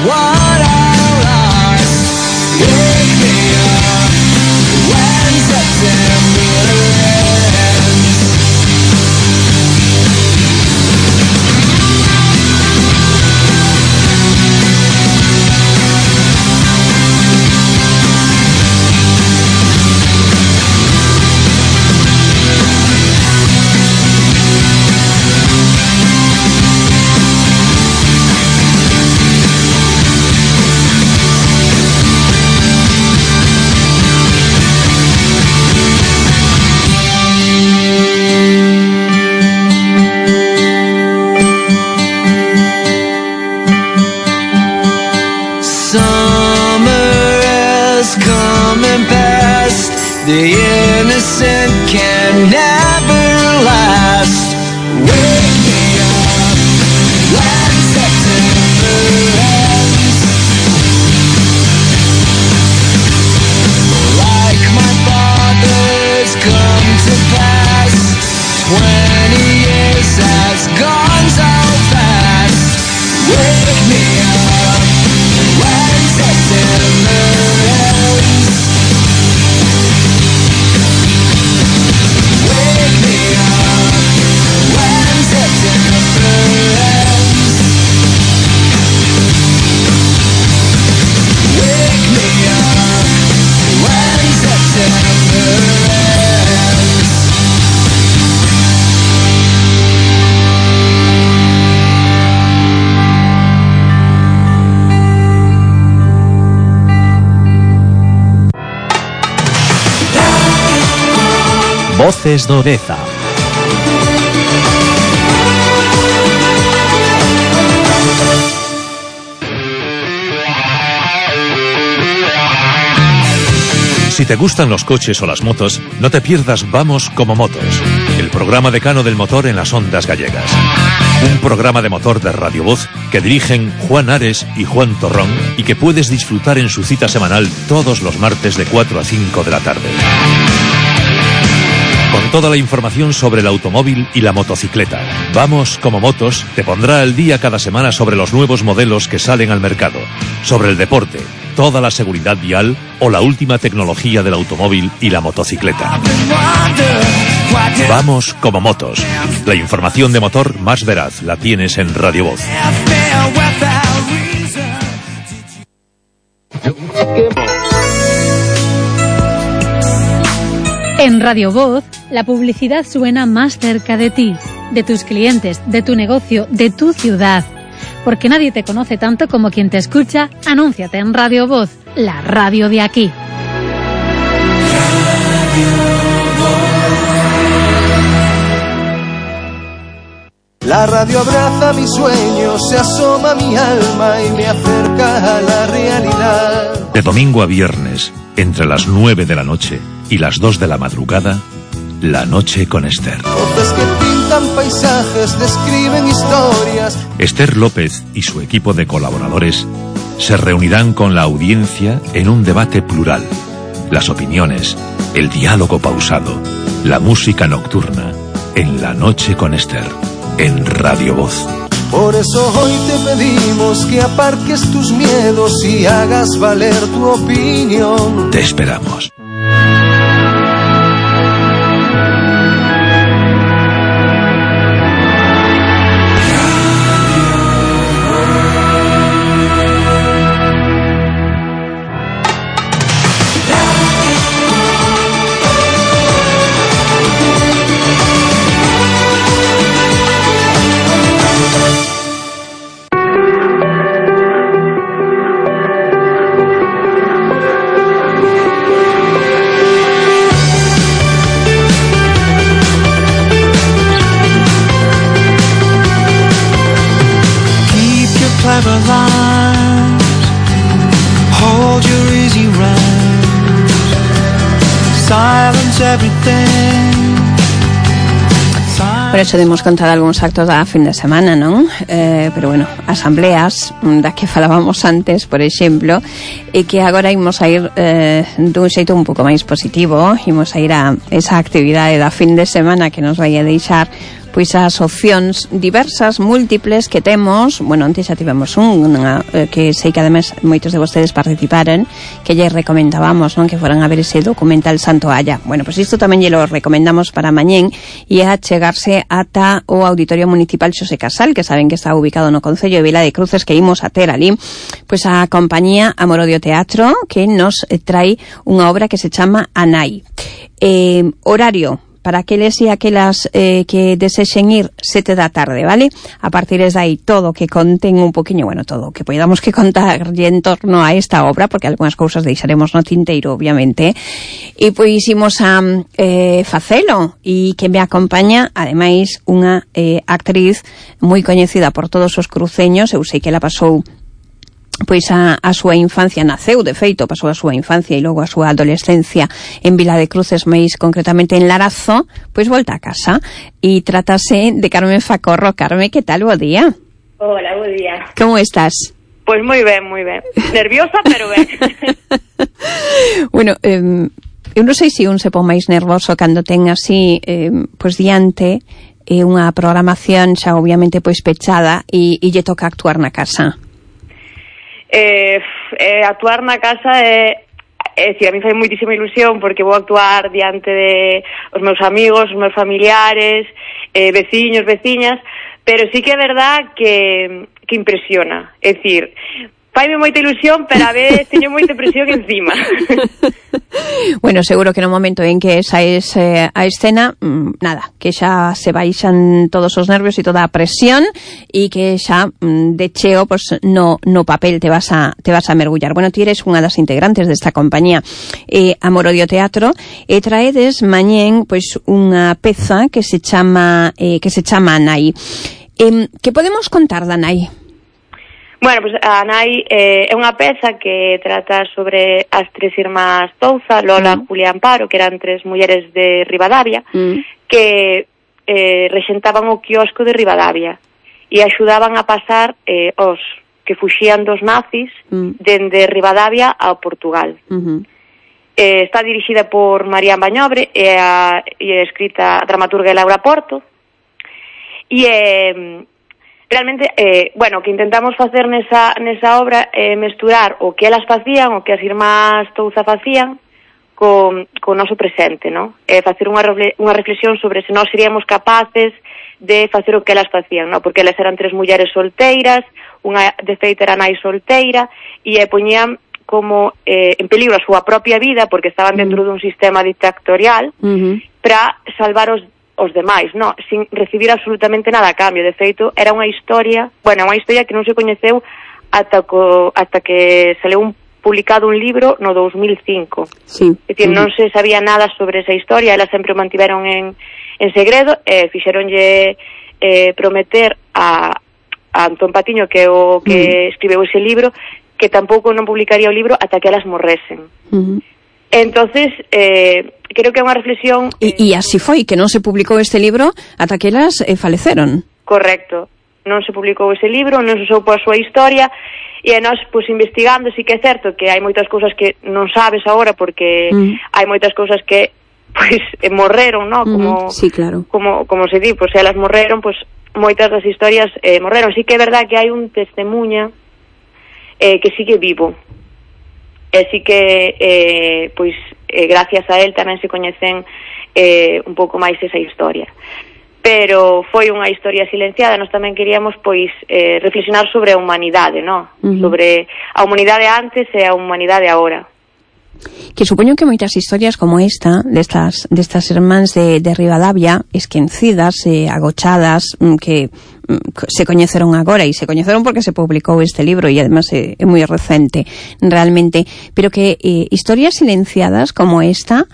what I lost. Wake me up when September ends. The innocent can never last. Wake me up when September ends. Like my father's come to pass. 20 years has gone so fast. Wake me up when September ends. Wake me up when September ends. Wake me up when September ends. Voces do Deza. Si te gustan los coches o las motos, no te pierdas Vamos como Motos, el programa decano del motor en las ondas gallegas. Un programa de motor de Radio Voz que dirigen Juan Ares y Juan Torrón y que puedes disfrutar en su cita semanal todos los martes de 4 a 5 de la tarde. Con toda la información sobre el automóvil y la motocicleta. Vamos como Motos te pondrá al día cada semana sobre los nuevos modelos que salen al mercado, sobre el deporte, toda la seguridad vial o la última tecnología del automóvil y la motocicleta. Vamos como Motos. La información de motor más veraz la tienes en Radio Voz. En Radio Voz, la publicidad suena más cerca de ti, de tus clientes, de tu negocio, de tu ciudad. Porque nadie te conoce tanto como quien te escucha. Anúnciate en Radio Voz, la radio de aquí. La radio abraza mis sueños, se asoma a mi alma y me acerca a la realidad. De domingo a viernes, entre las 9 de la noche y las 2 de la madrugada, La Noche con Esther. Voces que pintan paisajes, describen historias. Esther López y su equipo de colaboradores se reunirán con la audiencia en un debate plural. Las opiniones, el diálogo pausado, la música nocturna, en La Noche con Esther, en Radio Voz. Por eso hoy te pedimos que aparques tus miedos y hagas valer tu opinión. Te esperamos. Por eso demos conta de algúns actos da fin de semana, non? Pero bueno, asambleas das que falábamos antes, por exemplo, e que agora imos a ir dun xeito un pouco máis positivo, imos a ir a esa actividade da fin de semana que nos vai a deixar pois as opcións diversas, múltiples que temos. Bueno, antes xa tivemos unha que sei que ademais moitos de vostedes participaron, que lle recomendábamos, non, que foran a ver ese documental Santoalla. Bueno, pois isto tamén lle lo recomendamos para mañén, e a chegarse ata o Auditorio Municipal Xosé Casal, que saben que está ubicado no concello de Vila de Cruces, que imos a ter ali pois a compañía Amorodio Teatro, que nos trae unha obra que se chama Anai. Horario para aqueles e aquelas que desexen ir 7 da tarde, vale? A partir de aí todo que conten un poquinho, bueno, todo que podamos que contar en torno a esta obra, porque algunhas cousas deixaremos no tinteiro, obviamente, e pois imos a facelo, e que me acompaña ademais unha actriz moi coñecida por todos os cruceños. Eu sei que ela pasou pois a súa infancia, naceu de feito, pasou a súa infancia e logo a súa adolescencia en Vila de Cruces, máis concretamente en Larazo, pois volta a casa, e trátase de Carmen Facorro. Carmen, que tal? Bo día. Hola, bo día. Como estás? Pois moi ben, moi ben. Nerviosa, pero ben. Bueno, eu non sei se un se pon máis nervoso cando ten así, pois diante unha programación xa obviamente pois pechada e lle toca actuar na casa. Actuar na casa a mí fai moitísima ilusión, porque vou actuar diante de os meus amigos, os meus familiares, veciños, veciñas, pero sí que é verdad que impresiona. É dicir, faime moita ilusión, pero a vez teño moita presión encima. Bueno, seguro que no momento en que saes a escena, nada, que xa se baixan todos os nervios e toda a presión, e que xa de cheo pues, no papel te vas a mergullar. Bueno, ti eres unha das integrantes desta compañía Amorodio Teatro, e traedes mañén pois unha peza que se chama Anai. Que podemos contar da Anai? Bueno, pues a Anai é unha peza que trata sobre as tres irmás Touza, Lola, Julia e Amparo, que eran tres mulleres de Ribadavia, que rexentaban o quiosco de Ribadavia e axudaban a pasar os que fuxían dos nazis dende Ribadavia ao Portugal. Está dirixida por Marían Bañobre e escrita a dramaturga Laura Porto, e realmente, bueno, o que intentamos facer nesa obra é mesturar o que elas facían, o que as irmás Touza facían, con o noso presente, non? Facer unha reflexión sobre se nós seríamos capaces de facer o que elas facían, non? Porque elas eran tres mulleres solteiras, unha de feito era nai solteira, e poñían como en peligro a súa propia vida, porque estaban dentro dun sistema dictatorial, para salvar os demais, no, sin recibir absolutamente nada a cambio. De feito, era unha historia que non se coñeceu ata que saleu publicado un libro no 2005. Sí. É dicir, non se sabía nada sobre esa historia, elas sempre o mantiveron en segredo, fixeronlle prometer a Antón Patiño, que é o que escribeu ese libro, que tampouco non publicaría o libro ata que elas morresen. Entonces, creo que é unha reflexión... E así foi, que non se publicou este libro ata que elas faleceron. Correcto. Non se publicou ese libro, non se soupo a súa historia, e nós, pois, investigando, sí que é certo que hai moitas cousas que non sabes agora, porque hai moitas cousas que, pois, morreron, non? Como, sí, claro. Como se di, pois, elas morreron, pois, moitas das historias morreron. Sí que é verdad que hai un testemunha que sigue vivo. E sí que, pois, gracias a él tamén se coñecen un pouco máis esa historia. Pero foi unha historia silenciada. Nós tamén queríamos, pois, reflexionar sobre a humanidade, non? Sobre a humanidade antes e a humanidade agora. Que supoño que moitas historias como esta, destas irmáns de Ribadavia, esquecidas, agochadas, que se coñeceron agora, e se coñeceron porque se publicou este libro, e además é moi recente realmente, pero que historias silenciadas como esta,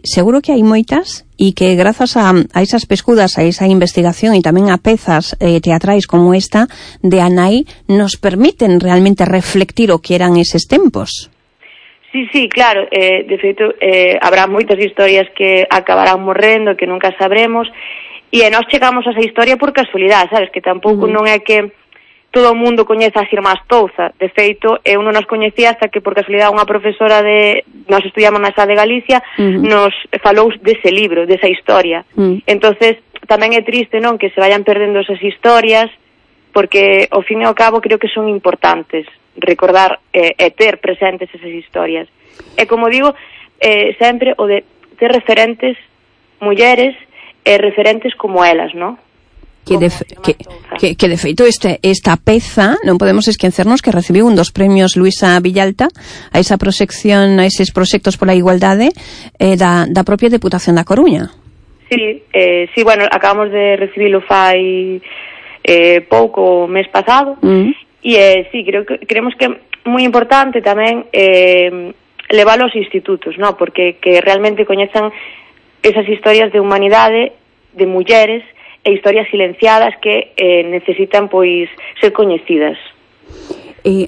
seguro que hai moitas, e que grazas a esas pescudas, a esa investigación e tamén a pezas teatrais como esta de Anai, nos permiten realmente reflectir o que eran eses tempos. Sí, claro, de feito habrá moitas historias que acabarán morrendo, que nunca sabremos, e nós chegamos a esa historia por casualidade, sabes, que tampouco non é que todo o mundo coñeza as irmás Touza. De feito, eu non nos coñecía hasta que por casualidade unha profesora nós estudiamos na Sa de Galicia, nos falou dese libro, desa historia. Entonces, tamén é triste, non, que se vayan perdendo esas historias, porque ao fin e ao cabo creo que son importantes recordar e ter presentes esas historias. E como digo, sempre o de ter referentes mulleres e referentes como elas, non? Que de feito esta peza non podemos esquecernos que recibiu un dos premios Luisa Villalta a esa proxección, a eses proxectos pola igualdade da propia Deputación da Coruña. Sí, bueno, acabamos de recibilo fai pouco, o mes pasado, e sí, creemos que é moi importante tamén leválo aos institutos, ¿no? Porque que realmente coñezan esas historias de humanidade, de mulleres, e historias silenciadas que necesitan, pois, ser coñecidas.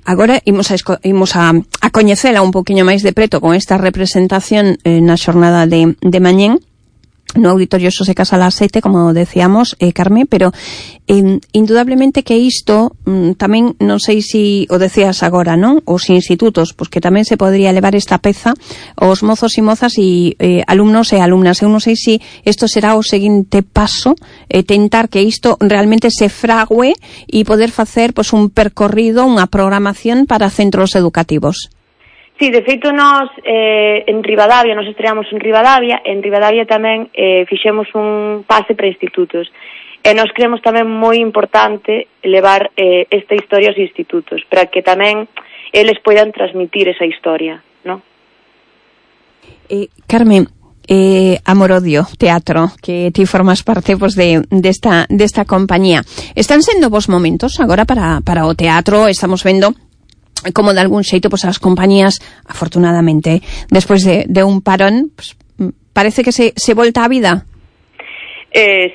Agora imos a coñecela un poquinho máis de preto con esta representación na xornada de mañén no Auditorio Xosé Casal ás 7, como decíamos, Carme, pero indudablemente que isto tamén, non sei se o decías agora, non? Os institutos, pois que tamén se podría levar esta peza aos mozos e mozas e alumnos e alumnas. Eu non sei se isto será o seguinte paso, tentar que isto realmente se frague e poder facer pois un percorrido, unha programación para centros educativos. Sí, de feito, nos estreamos en Ribadavia tamén fixemos un pase para institutos. E nos creemos tamén moi importante levar esta historia aos institutos, para que tamén eles poidan transmitir esa historia, non? Carmen, Amor-Odio Teatro, que ti formas parte pues, desta compañía. Están sendo vos momentos agora para o teatro, estamos vendo como de algún xeito pues, as compañías, afortunadamente, despois de un parón, pues, parece que se volta á vida.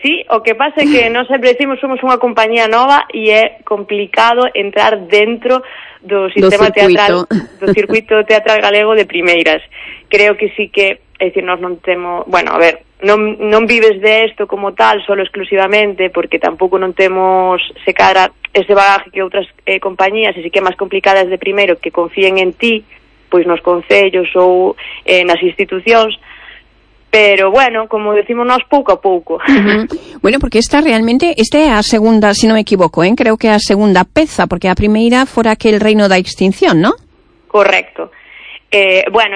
Sí, o que pasa é que nós sempre decimos somos unha compañía nova e é complicado entrar dentro do sistema teatral, do circuito teatral galego de primeiras. Creo que sí que, é dicir, nós non temos, bueno, a ver, non vives de isto como tal, solo exclusivamente, porque tampouco non temos se cadra ese bagaje que outras compañías, e si que é máis complicadas de primeiro que confíen en ti, pois nos concellos ou nas institucións, pero bueno, como decimos nós, pouco a pouco. Bueno, porque esta é a segunda, se non me equivoco, creo que é a segunda peza, porque a primeira fora aquel Reino da Extinción, ¿no? Correcto. Bueno,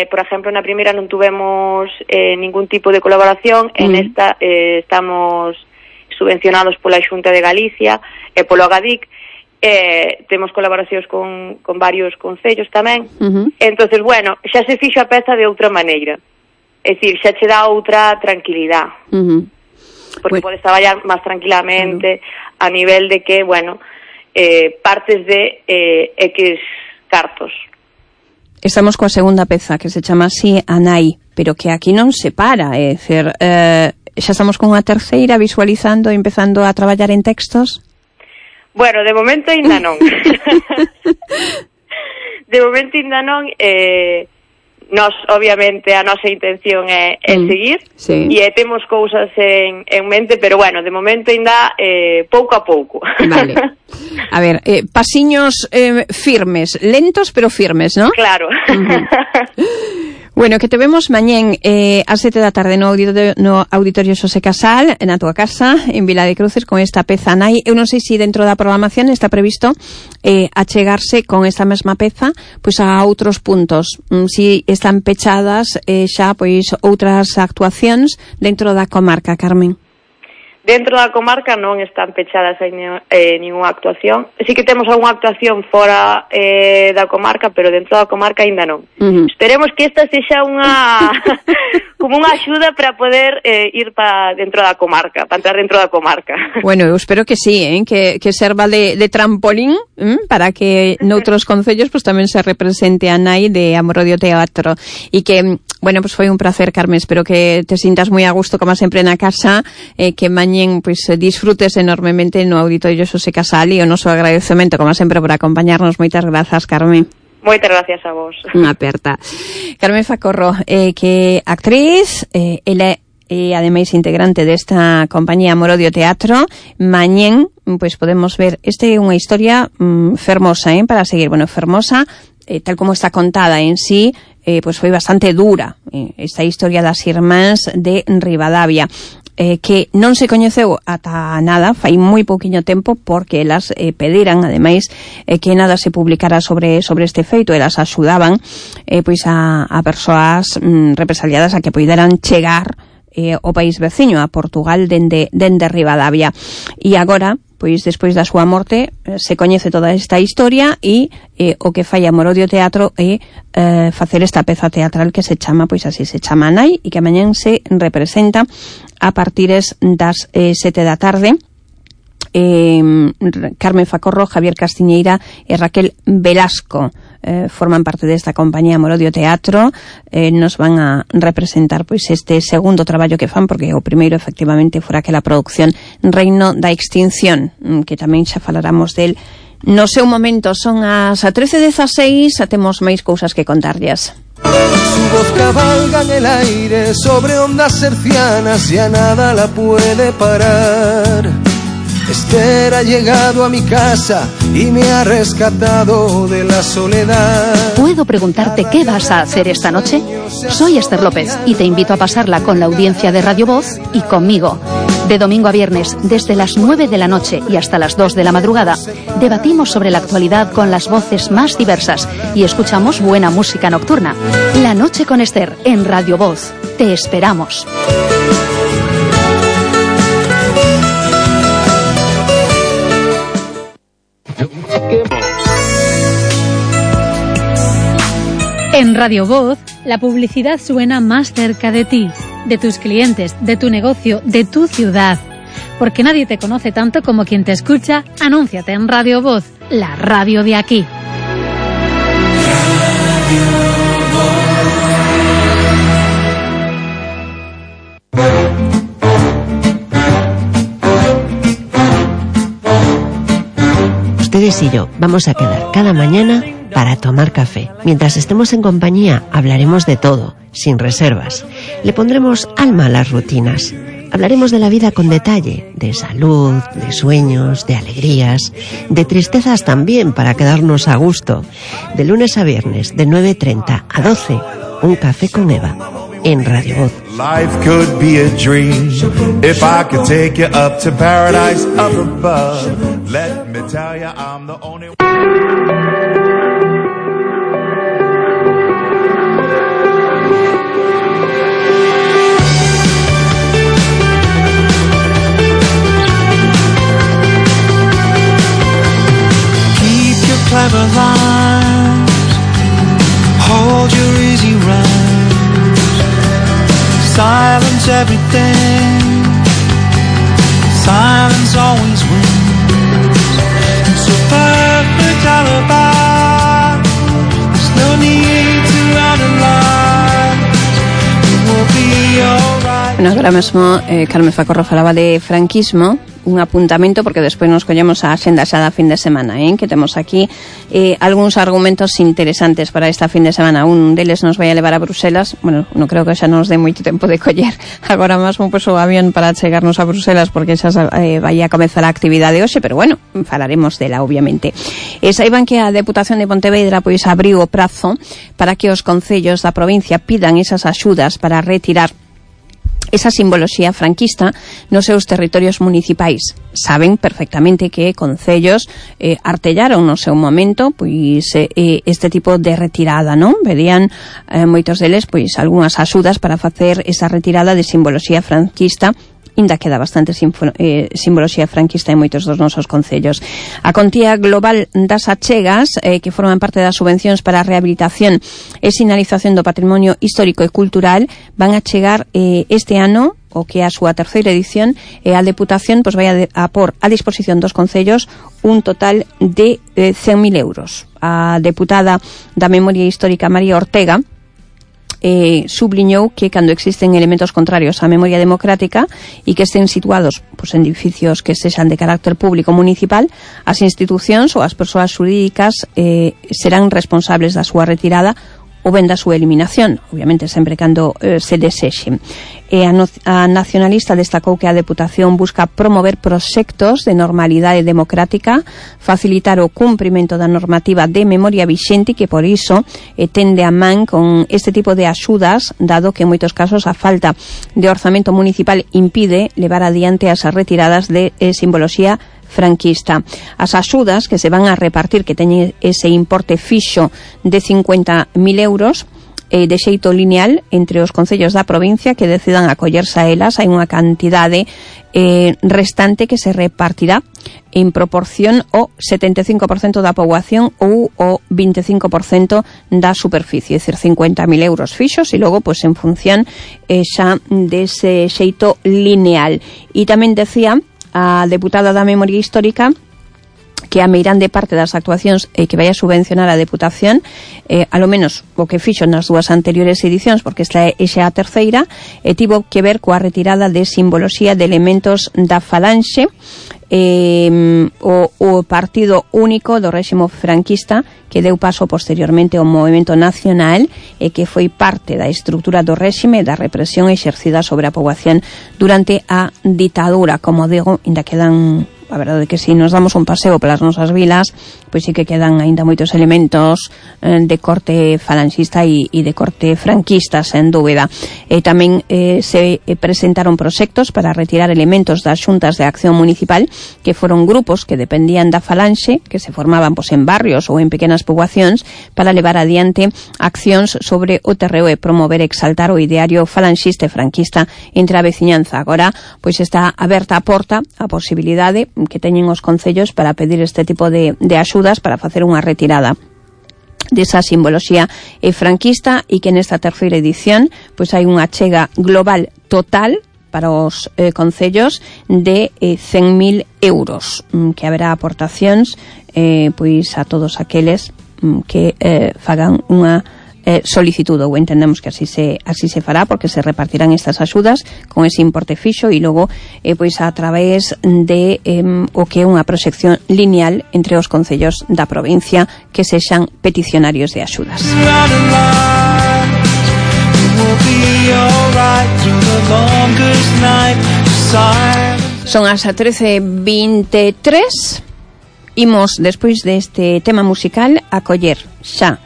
por exemplo, na primeira non tuvemos ningún tipo de colaboración, en esta estamos subvencionados pola Xunta de Galicia e polo Agadic, temos colaboracións con varios concellos tamén. Entonces, bueno, xa se fixo a peza de outra maneira, é dicir, xa che dá outra tranquilidade, porque podes traballar máis tranquilamente a nivel de que, bueno, partes de X cartos. Estamos coa segunda peza, que se chama así Anai, pero que aquí non se para, é dicir, xa estamos con unha terceira visualizando e empezando a traballar en textos? Bueno, de momento ainda non. De momento ainda non. Nos, obviamente, a nosa intención é seguir, sí. E temos cousas en mente, pero bueno, de momento ainda pouco a pouco. Vale. A ver, pasiños firmes, lentos pero firmes, ¿no? Claro. Bueno, que te vemos mañén ás 7 da tarde no Auditorio Xosé Casal, na tua casa, en Vila de Cruces, con esta peza Anai. Eu non sei se dentro da programación está previsto achegarse con esta mesma peza pois a outros puntos. Si están pechadas xa pois outras actuacións dentro da comarca, Carmen. Dentro da comarca non están pechadas ninguna actuación. Sí que temos algunha actuación fora da comarca, pero dentro da comarca ainda non. Esperemos que esta sexa como unha axuda para poder ir para dentro da comarca, para entrar dentro da comarca. Bueno, eu espero que sí, que serva de trampolín para que noutros concellos pues, tamén se represente a Nai de Amor-Odio Teatro. E que, bueno, pues foi un placer, Carmen. Espero que te sintas moi a gusto, como sempre, na casa, que mañén pues, disfrutes enormemente no Auditorio Xosé Casal, e o noso agradecemento, como sempre, por acompañarnos. Moitas grazas, Carmen. Moitas gracias a vos. Unha aperta. Carmen Facorro, que actriz, ela é ademais integrante desta compañía Amor-Odio Teatro. Mañén, pois podemos ver, é unha historia fermosa, para seguir. Bueno, fermosa, tal como está contada en sí, pois foi bastante dura esta historia das irmáns de Ribadavia. que non se coñeceu ata nada, fai moi pouquiño tempo, porque elas pediran, ademais, que nada se publicara sobre este feito. Elas axudaban pois a persoas represaliadas a que poideran chegar ao país veciño, a Portugal, dende Ribadavia. E agora, pois despois da súa morte, se coñece toda esta historia, e o que fai Amorodio Teatro é facer esta peza teatral que se chama, pois así se chama, Nai, e que mañán se representa a partires das 7 da tarde. Carmen Facorro, Javier Castiñeira e Raquel Velasco forman parte desta compañía Amorodio Teatro. Nos van a representar pois este segundo traballo que fan, porque o primeiro efectivamente fora aquela produción Reino da Extinción, que tamén xa falaramos del no seu momento. Son as 13:16, xa temos máis cousas que contarlles. Su voz cabalga en el aire sobre ondas hercianas, ya nada la puede parar. Esther ha llegado a mi casa y me ha rescatado de la soledad. ¿Puedo preguntarte qué vas a hacer esta noche? Soy Esther López y te invito a pasarla con la audiencia de Radio Voz y conmigo. De domingo a viernes, desde las 9 de la noche y hasta las 2 de la madrugada, debatimos sobre la actualidad con las voces más diversas y escuchamos buena música nocturna. La noche con Esther en Radio Voz. Te esperamos. En Radio Voz, la publicidad suena más cerca de ti, de tus clientes, de tu negocio, de tu ciudad. Porque nadie te conoce tanto como quien te escucha. Anúnciate en Radio Voz, la radio de aquí. Ustedes y yo vamos a quedar cada mañana para tomar café. Mientras estemos en compañía, hablaremos de todo, sin reservas. Le pondremos alma a las rutinas. Hablaremos de la vida con detalle, de salud, de sueños, de alegrías, de tristezas también, para quedarnos a gusto. De lunes a viernes, de 9:30 a 12, un café con Eva, en Radio Voz. Life could be a dream if I could take you up to paradise up above. Let me tell you I'm the only one. Keep your clever lines, hold your easy rhyme. Silence everything, silence always wins. It's a perfect alibi, there's no need to underline. It will be alright. Bueno, agora mesmo Carmen Facorro falaba de franquismo, un apuntamento, porque despois nos collemos a axenda xa da fin de semana, que temos aquí algúns argumentos interesantes para esta fin de semana. Un deles nos vai a levar a Bruselas. Bueno, non creo que xa nos dé moito tempo de coller agora mesmo pois o avión para chegarnos a Bruselas, porque xa vai a comezar a actividade hoxe, pero bueno, falaremos dela, obviamente. Saiban que a Deputación de Pontevedra pois abriu o prazo para que os concellos da provincia pidan esas axudas para retirar esa simboloxía franquista nos seus territorios municipais. Saben perfectamente que concellos artellaron no seu momento pois este tipo de retirada, non? Pedían moitos deles pois algunhas axudas para facer esa retirada de simboloxía franquista. Ainda queda bastante simboloxía franquista en moitos dos nosos concellos. A contía global das achegas, que forman parte das subvencións para a rehabilitación e sinalización do patrimonio histórico e cultural, van a chegar este ano, o que é a súa terceira edición, e a Deputación pois vai a por a disposición dos concellos un total de 100.000 euros. A deputada da Memoria Histórica, María Ortega, subliñou que cando existen elementos contrarios á memoria democrática e que estén situados pois, en edificios que sexan de carácter público municipal, as institucións ou as persoas xurídicas serán responsables da súa retirada ou ben da súa eliminación, obviamente sempre cando se desexe. A nacionalista destacou que a Deputación busca promover proxectos de normalidade democrática, facilitar o cumprimento da normativa de memoria vixente, que por iso tende a man con este tipo de axudas, dado que en moitos casos a falta de orzamento municipal impide levar adiante as retiradas de simboloxía franquista. As axudas que se van a repartir, que teñen ese importe fixo de 50.000 euros, de xeito lineal entre os concellos da provincia que decidan acollerse a elas, hai unha cantidade restante que se repartirá en proporción o 75% da poboación ou o 25% da superficie, é dicir, 50.000 euros fixos e logo, pois, en función xa dese xeito lineal. E tamén decía a deputada da Memoria Histórica que a meirande parte das actuacións que vai a subvencionar a Deputación, a lo menos o que fixo nas dúas anteriores edicións, porque esta é xa a terceira, tivo que ver coa retirada de simboloxía de elementos da falanxe, o partido único do réximo franquista que deu paso posteriormente ao movimento nacional e que foi parte da estrutura do réxime da represión exercida sobre a poboación durante a ditadura. Como digo, ainda quedan, a verdade é que se nos damos un paseo pelas nosas vilas, pois sí que quedan aínda moitos elementos de corte falanxista e de corte franquista, sen dúbida. Tamén se presentaron proxectos para retirar elementos das xuntas de acción municipal, que foron grupos que dependían da falanxe, que se formaban pois, en barrios ou en pequenas poboacións, para levar adiante accións sobre o terreo e promover e exaltar o ideario falanxista e franquista entre a veciñanza. Agora, pois está aberta a porta a posibilidade que teñen os concellos para pedir este tipo de axudas para facer unha retirada desa simboloxía franquista, e que nesta terceira edición pois hai unha achega global total para os concellos de 100.000 euros, que haberá aportacións pois a todos aqueles que fagan unha solicitude, ou entendemos que así se fará, porque se repartirán estas axudas con ese importe fixo e logo pois a través de o que é unha proxección lineal entre os concellos da provincia que sexan peticionarios de axudas. Son as 13:23. Imos, despois deste tema musical, a coller xa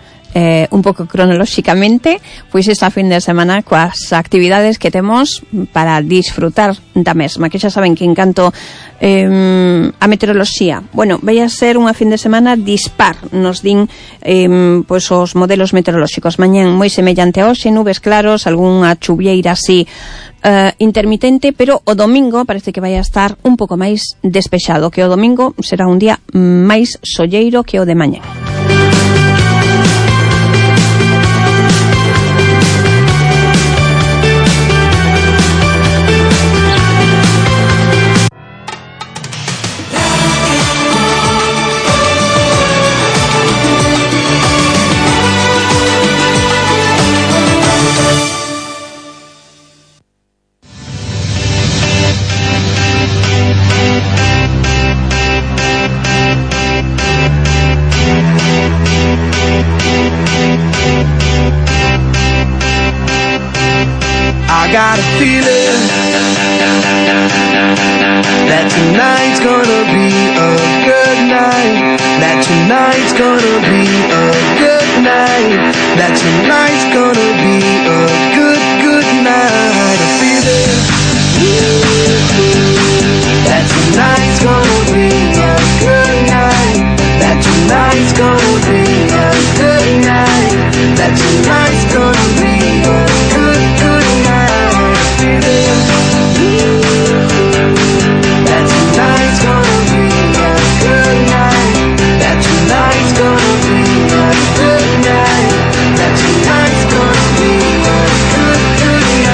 un pouco cronolóxicamente pois esta fin de semana coas actividades que temos para disfrutar da mesma, que xa saben que en canto a meteoroloxía, bueno, vai a ser unha fin de semana dispar, nos din pois os modelos meteorolóxicos. Mañán moi semellante a hoxe, nubes claros, algunha chuvieira así intermitente, pero o domingo parece que vai a estar un pouco máis despexado, que o domingo será un día máis solleiro que o de mañán. I got a feeling that tonight's gonna be a good night. That tonight's gonna be a good night. That tonight's gonna be a good night. A feeling that tonight's gonna be a good night. That tonight's gonna be a good night. That tonight's gonna be a good night. That tonight's gonna be a good night. That tonight's gonna be a good night. That tonight's gonna be a good night.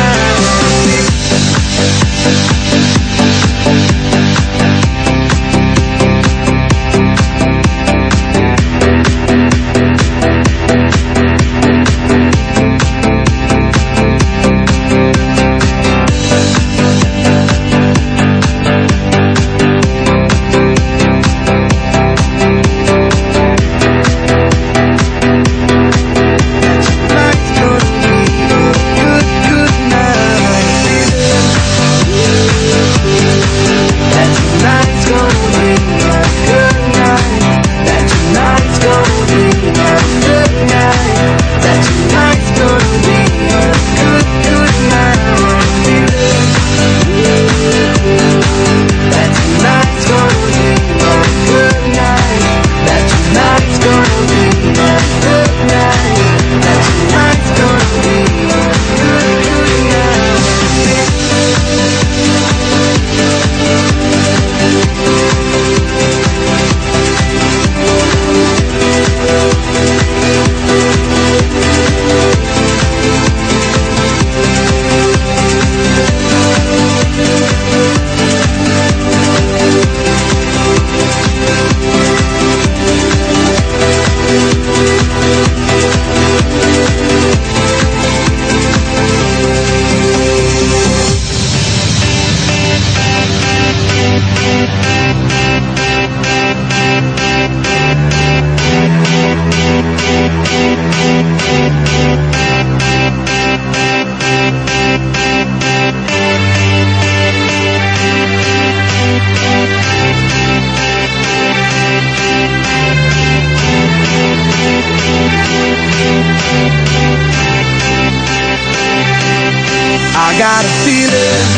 got a feeling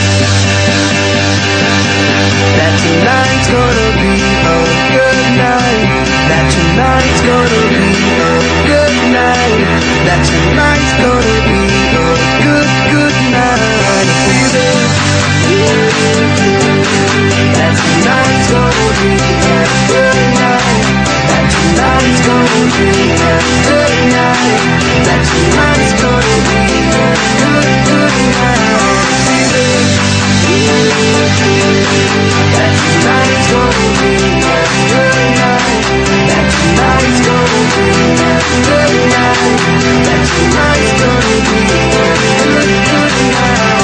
that tonight's gonna be a good night. That tonight's gonna be a good night. That tonight's gonna be a good night. Feeling that tonight's gonna be a good night. That tonight's gonna be a good night. That tonight's gonna be a good night. Feeling that tonight's gonna be a good night. That tonight's gonna be a good night. That tonight's gonna be a good night.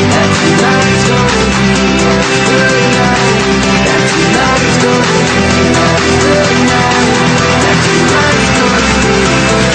That tonight's gonna be a good night. That tonight's gonna be a good night. That tonight's gonna be a good night.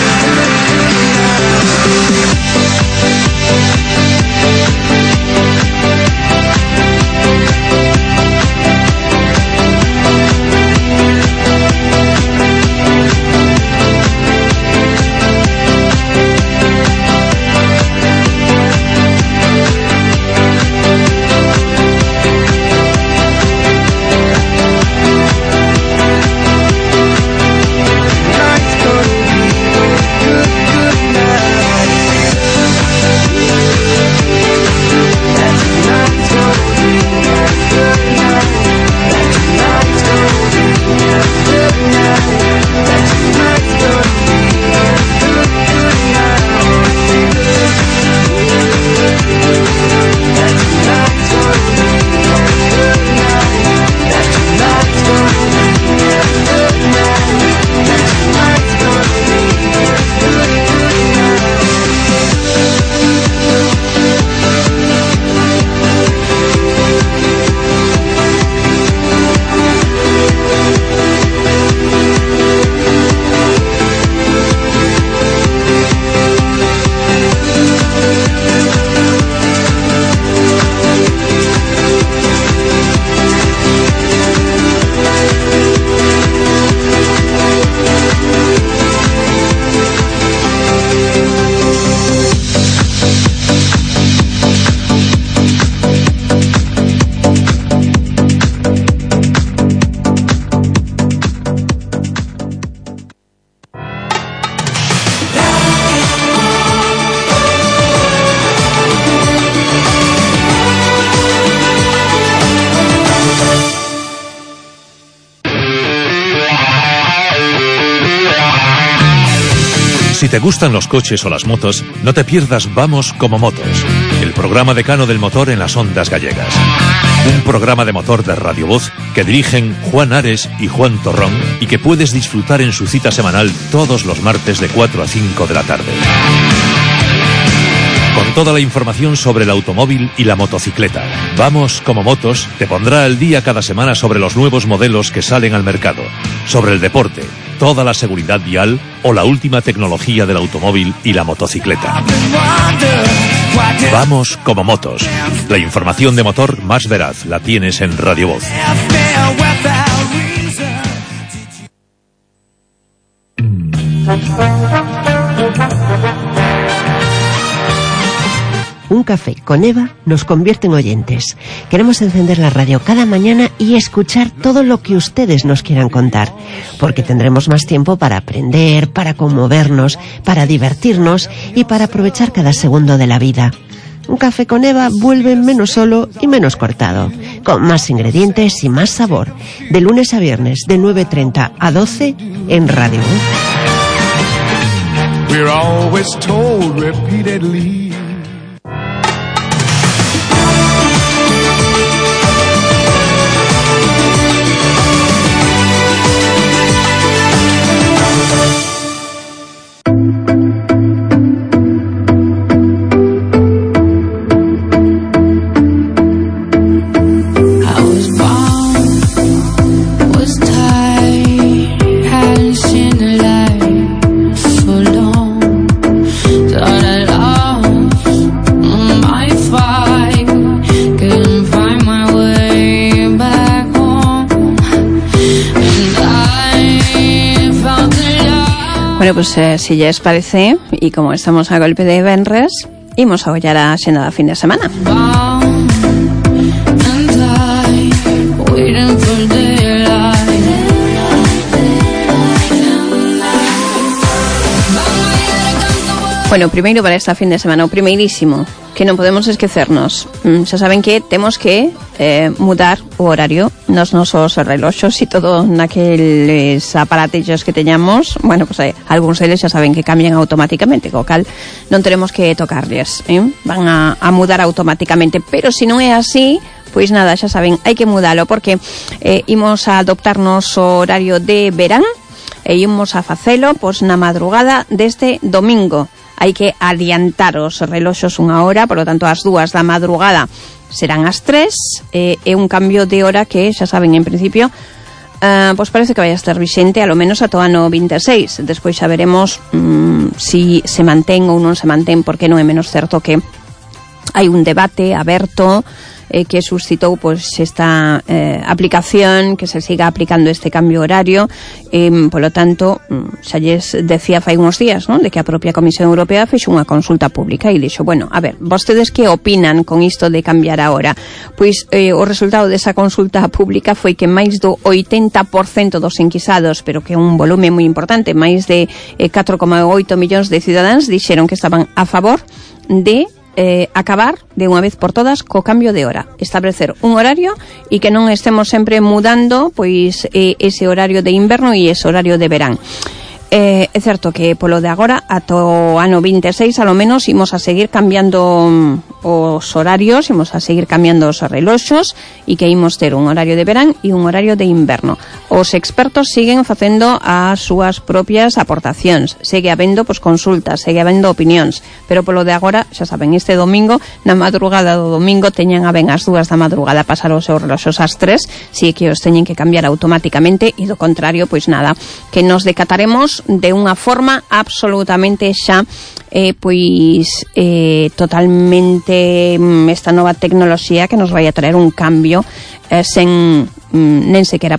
Si te gustan los coches o las motos, no te pierdas Vamos como Motos, el programa decano del motor en las ondas gallegas. Un programa de motor de Radio Voz que dirigen Juan Ares y Juan Torrón y que puedes disfrutar en su cita semanal todos los martes de 4 a 5 de la tarde. Con toda la información sobre el automóvil y la motocicleta. Vamos como Motos te pondrá al día cada semana sobre los nuevos modelos que salen al mercado, sobre el deporte, toda la seguridad vial o la última tecnología del automóvil y la motocicleta. Vamos como Motos. La información de motor más veraz la tienes en Radio Voz. Un café con Eva nos convierte en oyentes. Queremos encender la radio cada mañana y escuchar todo lo que ustedes nos quieran contar, porque tendremos más tiempo para aprender, para conmovernos, para divertirnos y para aprovechar cada segundo de la vida. Un café con Eva vuelve menos solo y menos cortado, con más ingredientes y más sabor. De lunes a viernes, de 9:30 a 12 en Radio. We're always told repeatedly. Seen the light for long. Thought I'd Bueno, pues si lles parece, e como estamos a golpe de venres, imos a ollar a xenda da fin de semana. Bueno, primeiro para esta fin de semana, o primeirísimo, que non podemos esquecernos. Xa saben que temos que mudar o horario nos nosos reloxos e todo naqueles aparatillos que teñamos. Bueno, pues algúns deles xa saben que cambian automáticamente, co cal non teremos que tocarles, van a mudar automáticamente, pero se non é así, pois nada, xa saben, hai que mudalo, porque imos a adoptarnos o horario de verán e imos a facelo pois na madrugada deste domingo. Hai que adiantar os reloxos unha hora, por lo tanto, as 2 da madrugada serán as 3, e un cambio de hora que, xa saben, en principio, pois parece que vai a estar vixente alo menos ata o ano 26. Despois xa veremos si se mantén ou non se mantén, porque non é menos certo que hai un debate aberto que suscitou pois esta aplicación, que se siga aplicando este cambio horario, polo tanto, xa lles decía fai uns días, non, de que a propia Comisión Europea fixo unha consulta pública e dixo, bueno, a ver, vostedes que opinan con isto de cambiar a hora? Pois o resultado desa consulta pública foi que máis do 80% dos enquisados, pero que é un volume moi importante, máis de 4,8 millóns de cidadáns dixeron que estaban a favor de acabar de unha vez por todas co cambio de hora, establecer un horario e que non estemos sempre mudando pois ese horario de inverno e ese horario de verán. É certo que polo de agora ata o ano 26 alo menos imos a seguir cambiando os horarios, imos a seguir cambiando os reloxos e que imos ter un horario de verán e un horario de inverno. Os expertos siguen facendo as súas propias aportacións, segue habendo pois consultas, segue habendo opinións, pero polo de agora, xa saben, este domingo, na madrugada do domingo teñan a ben as 2 da madrugada pasar os seus reloxos ás 3, si que os teñen que cambiar automáticamente, e do contrario, pois nada, que nos decataremos de unha forma absolutamente xa totalmente esta nova tecnoloxía que nos vai a traer un cambio sen nen sequera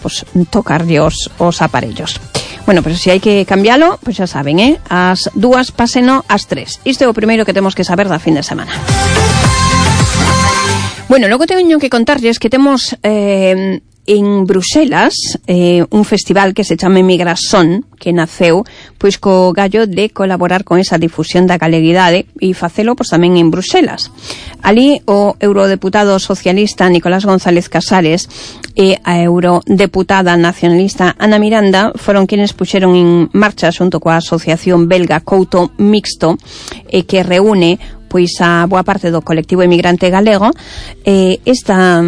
tocarlle os aparellos. Bueno, pero se hai que cambialo, pois xa saben, as 2 páseno ás 3. Isto é o primeiro que temos que saber da fin de semana. Bueno, logo teño que contarlles que temos en Bruxelas un festival que se chama Migración, que naceu pois co gallo de colaborar con esa difusión da galeguidade e facelo pois tamén en Bruxelas. Ali o eurodeputado socialista Nicolás González Casares e a eurodeputada nacionalista Ana Miranda foron quienes puxeron en marcha xunto coa asociación belga Couto Mixto, que reúne pois a boa parte do colectivo emigrante galego, esta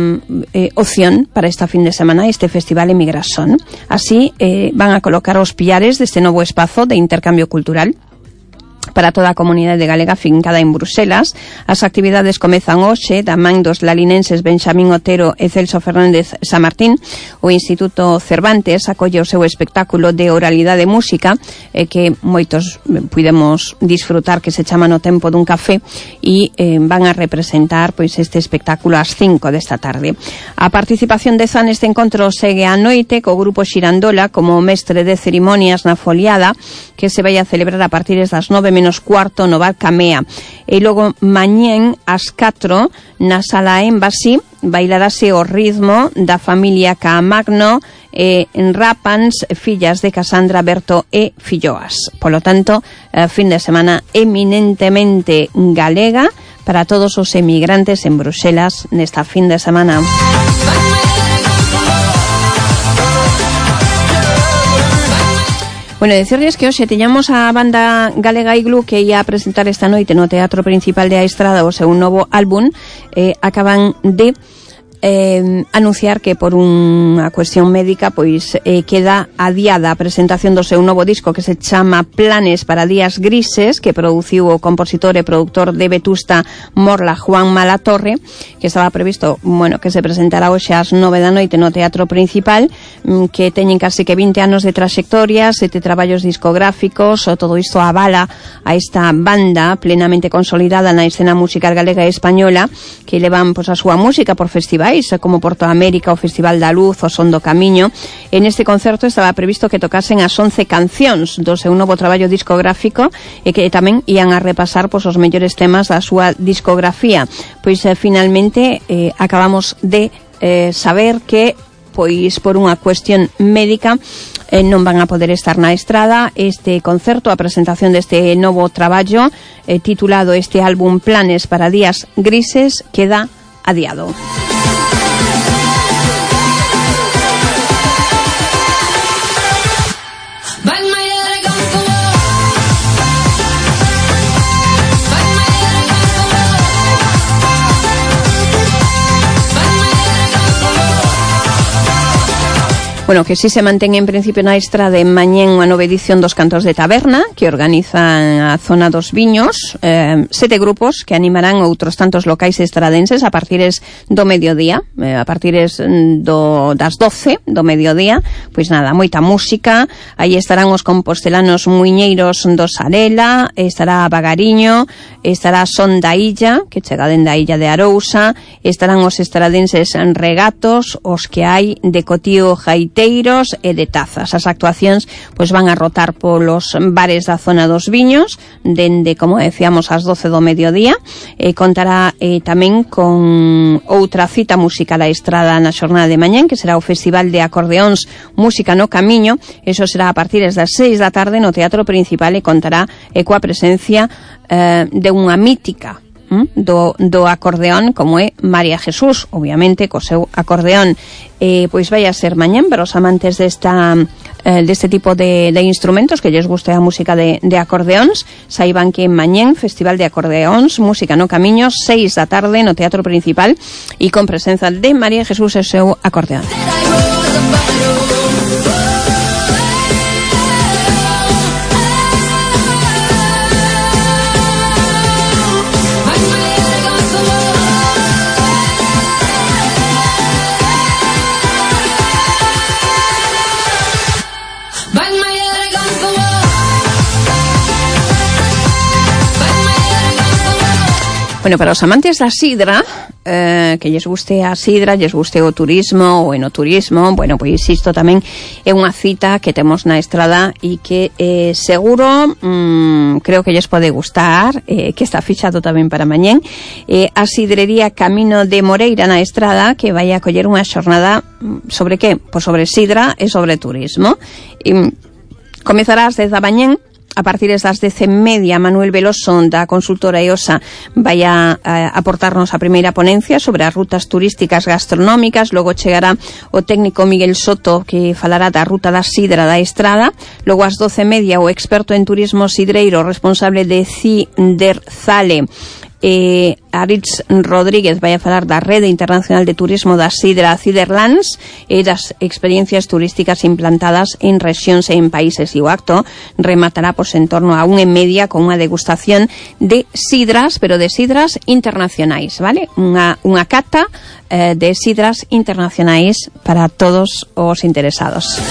opción para esta fin de semana, este festival Emigración. Así van a colocar os pilares deste novo espazo de intercambio cultural para toda a comunidade galega fincada en Bruxelas. As actividades comezan hoxe da man dos lalinenses Benxamín Otero e Celso Fernández Samartín. O Instituto Cervantes acolle o seu espectáculo de oralidade e música, que moitos pudemos disfrutar, que se chama No tempo dun café, e van a representar pois este espectáculo ás 5 desta tarde. A participación de Zan neste encontro segue á noite co grupo Xirandola como mestre de cerimonias na foliada, que se vai a celebrar a partir das 9:15 no bar Camea. E logo mañén ás 4 na sala Embassy bailarase o ritmo da familia Caamagno en Rapans, fillas de Casandra, Berto e Filloas. Polo tanto, fin de semana eminentemente galega para todos os emigrantes en Bruxelas nesta fin de semana. Bueno, decirles que hoxe teñamos a banda galega Iglú, que ia a presentar esta noite no Teatro Principal de A Estrada o seu novo álbum. Acaban de anunciar que por unha cuestión médica pois queda adiada a presentación do seu novo disco, que se chama Planes para días grises, que produciu o compositor e productor de Vetusta Morla, Juan Malatorre, que estaba previsto, bueno, que se presentará hoxe ás 9 da noite no Teatro Principal, que teñen casi que 20 anos de traxectoria, 7 traballos discográficos, o todo isto avala a esta banda plenamente consolidada na escena musical galega e española, que levan pois a súa música por festivais locais, como Porto América, o Festival da Luz, o Son do Camiño. En este concerto estaba previsto que tocasen as 11 cancións do seu novo traballo discográfico e que tamén ian a repasar os mellores temas da súa discografía. Pois finalmente acabamos de saber que pois por unha cuestión médica non van a poder estar na estrada. Este concerto, a presentación deste novo traballo titulado este álbum Planes para días grises, queda adiado. Bueno, que si se mantén en principio na estrada en mañén unha nova edición dos Cantos de Taberna que organizan a Zona dos Viños, 7 grupos que animarán outros tantos locais estradenses a partires do mediodía, a partires das 12 do mediodía. Pois nada, moita música. Aí estarán os compostelanos muiñeiros do Sarela, estará Bagariño, estará Son da Illa, que chega dende a Illa de Arousa, estarán os estradenses Regatos, os que hai de Cotío Jaite e de Tazas. As actuacións pois van a rotar polos bares da Zona dos Viños dende, como decíamos, as 12 do mediodía. Contará tamén con outra cita musical a estrada na xornada de mañán, que será o Festival de Acordeóns Música no Camiño. Eso será a partir das 6 da tarde no Teatro Principal e contará coa presencia de unha mítica do acordeón como é María Jesús, obviamente co seu acordeón. Pois vai a ser mañán para os amantes deste tipo de instrumentos, que lles guste a música de acordeóns. Saiban que mañán Festival de Acordeóns Música no Camiño, 6 da tarde no Teatro Principal e con presenza de María Jesús e o seu acordeón. Bueno, para os amantes da sidra, que lles guste a sidra, lles guste o turismo, o enoturismo, bueno, pois isto tamén é unha cita que temos na estrada e que seguro, creo que lles pode gustar, que está fixado tamén para mañén. A sidrería Camino de Moreira na estrada, que vai a coller unha xornada sobre que? Pois sobre sidra e sobre turismo. Comezará ás 10 da mañén. A partir das 10:30, Manuel Veloso da consultora EOSA vai a aportarnos a primeira ponencia sobre as rutas turísticas gastronómicas. Logo chegará o técnico Miguel Soto, que falará da ruta da sidra da estrada. Logo ás 12:30, o experto en turismo sidreiro responsable de Ciderzale, Aritz Rodríguez, vai a falar da Rede Internacional de Turismo da Sidra Ciderlands e das experiencias turísticas implantadas en rexións e en países. E o acto rematará en torno a 1:30 con unha degustación de sidras, pero de sidras internacionais, vale? Unha cata de sidras internacionais para todos os interesados.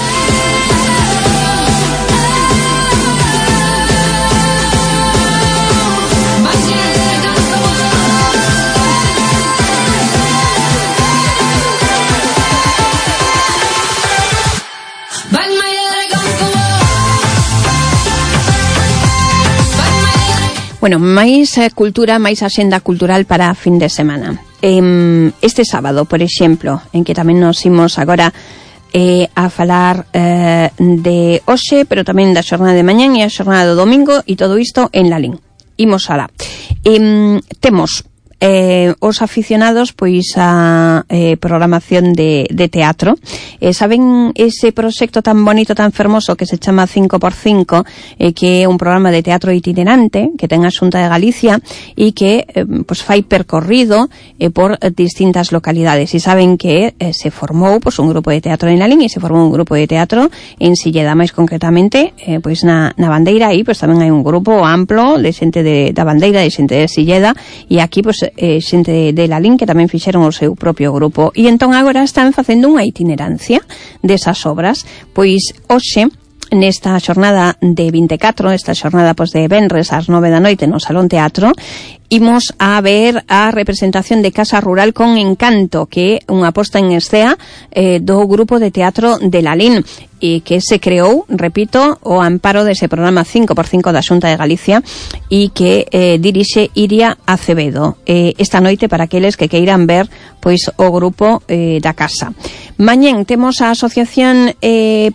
Bueno, máis cultura, máis axenda cultural para a fin de semana. Este sábado, por exemplo, en que tamén nos imos agora a falar de hoxe, pero tamén da xornada de mañán e a xornada do domingo, e todo isto en Lalín. Imos alá. Temos os aficionados pois a programación de teatro. Saben ese proxecto tan bonito, tan fermoso que se chama 5x5, que é un programa de teatro itinerante que ten a Xunta de Galicia e que pois fai percorrido por distintas localidades. E saben que se formou pois un grupo de teatro en Lalín e se formou un grupo de teatro en Silleda, máis concretamente pois na Bandeira. Aí pois tamén hai un grupo amplo de xente da Bandeira, de xente de Silleda, e aquí pois xente de Lalín que tamén fixeron o seu propio grupo, e entón agora están facendo unha itinerancia desas obras. Pois hoxe, nesta xornada de 24, esta xornada pois de venres ás 9 da noite no Salón Teatro, imos a ver a representación de Casa Rural con Encanto, que é unha posta en escena do grupo de teatro de Lalín, e que se creou, repito, o amparo dese programa 5x5 da Xunta de Galicia e que dirixe Iria Acevedo esta noite para aqueles que queiran ver pois o grupo da casa. Mañén temos a Asociación